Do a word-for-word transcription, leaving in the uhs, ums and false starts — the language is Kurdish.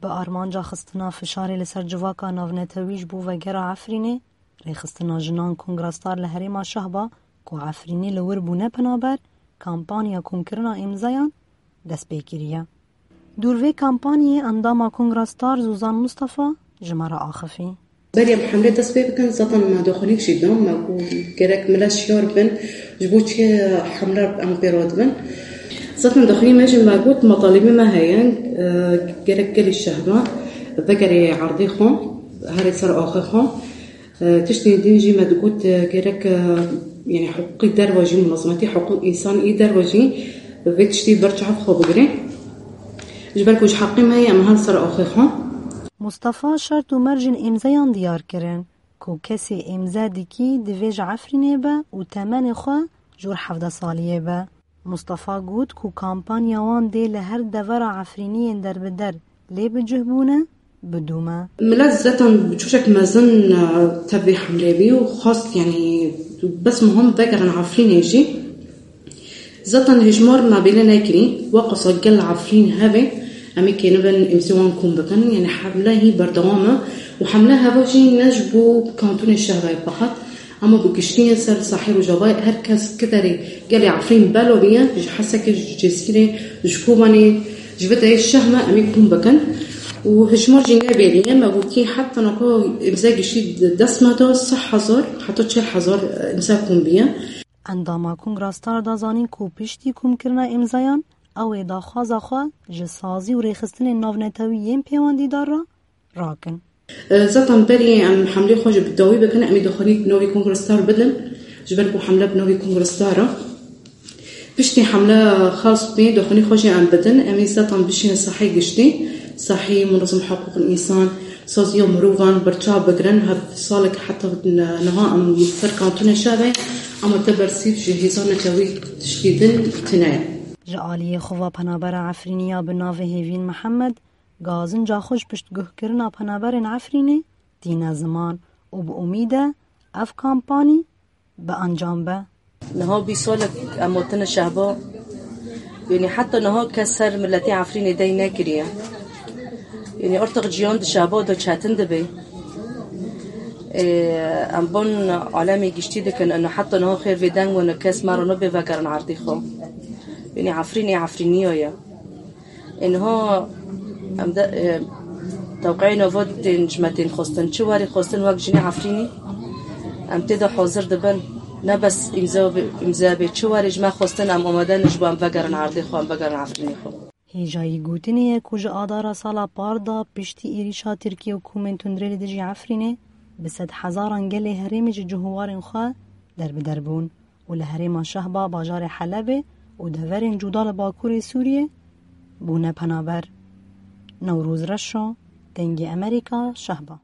Bi armanca xistina fişarê li ser civaka navnetewî ji bo vegera Efrînê, Rêxistina Jinan Kongra Star li herêma Şehba ku Efrînê li wir bûne penaber, kampanya komkirina îmzeyan dest pê kiriye. Dûr vê kampanyê endama Kongra Star Zozan Mustafa ji me re axifî. Berê em hemlê dest pê bikin, zaten me daxuyanîk jî da, me got gerek milet şiyar bin, ji bo çi hemle em pê re dibin. Zaten daxuyanî me jî me got, metalîbê me heye, e, gerek gelê Şehba vegerê erdê xwe, herê ser axê xwe. E, tiştên din jî me digot, e, gerek, e, yani hiqûqî derve jî, munazimetî hiqûq însan î derve jî vê tiştî ber çav xwe bigire. Ji ber ku ji heqê me ye, em her ser axê xwe. Mustafa şert û mercên îmzeyan diyar kirin ku kesê îmze dikî divê ji Efrînê be û temenê xwe jor hevdeh saliyê be. Mustafa got ku kampanya wan dê li her devera Efrîniyên derbider lê bi cih bûne, bidûme. Milet zaten bi çoşek mezin, e, tevî hemlê bî û xwest, yani, bes muhim vegerin Efrînê jî. Zaten hejmar me bêle nekirî, waqasa gel Efrîn hevê, em ê kênibin îmzê wan kom bikin, yani hemle hî berdewam e û hemle heva jî ne ji bo kantûnê Şehba ye feqet, ama bi giştî ye ser sahê Rojavayê, her kes ki derê gelê Efrîn belo bîye, ji Hesekê, ji Cizîrê, ji Kobanê, ji vê derê şeh me em ê kom bikin û hejmar jî nebêrî ye, me gotî heta naka îmze giştî dest me da sih hezar, heta çil hezar îmze kom bîye. Endama Kongra Star da zanîn ku piştî komkirina îmzayan, ew ê daxwaza xwe ji sazî û rêxistinên navnetewî yên pêwendîdar re rakin. E, zaten berî em hemlê xwe ji bi dawî bikin, em ê daxuyanî bi navê Kongra Star bidin, ji ber ku hemle bi navê Kongra Star e. Piştî hemle xas bê, daxuyanî xwe jî em bidin, em ê zaten bişînin sahê giştî, sahê munazim hiqûqên însan, saziya mirovan berçav bigirin, her salek heta niha em li ser kantûnê Şehba ye, ama te bersîv ji hêza netewî tiştî din tune ye. Ji aliyê xwe ve penabera Efrînî ya bi navê Hêvîn Mihemed, gazinca xwe ji piştguhkirina penaberên Efrînê tîne ziman û bi umîd e ev kampanî bi encam be. Niha bîst salek em hatine Şehba. Yanî heta niha kes ser miletê Efrînê dey nekiriye. Yanî artık ciyan di Şehba de çetin dibe. Ê, em ban alemê giştî dikin, ino heta niha xêr vê deng wan kes me re nabê vegerin erdê xwe. Yanî Efrînê Efrîniya ye. Ê niha em de, e, tewqeyê nava tên ji me tên xwestin. Çi warî xwestin wek jinê Efrînî? Em tê de hazir dibin. Ne bes îmza be, îmza be. Çi warî ji me xwestin, em amade ne ji bo em vegerin erdê xwe, em vegerin Efrînê xwe. Hêjayî gotinê ye ku ji adara sala par de piştî êrîşa Tirkiye û komên tundrê li dijî Efrînê bi sedhezaran gelê herêmê ji cih û warên xwe derbider bûn û li herêma Şehba, bajarê Helebê û deverên cuda li bakurê Sûriyê bûne penaber. Newroz Reşo, Dengê Emerîka, Şehba.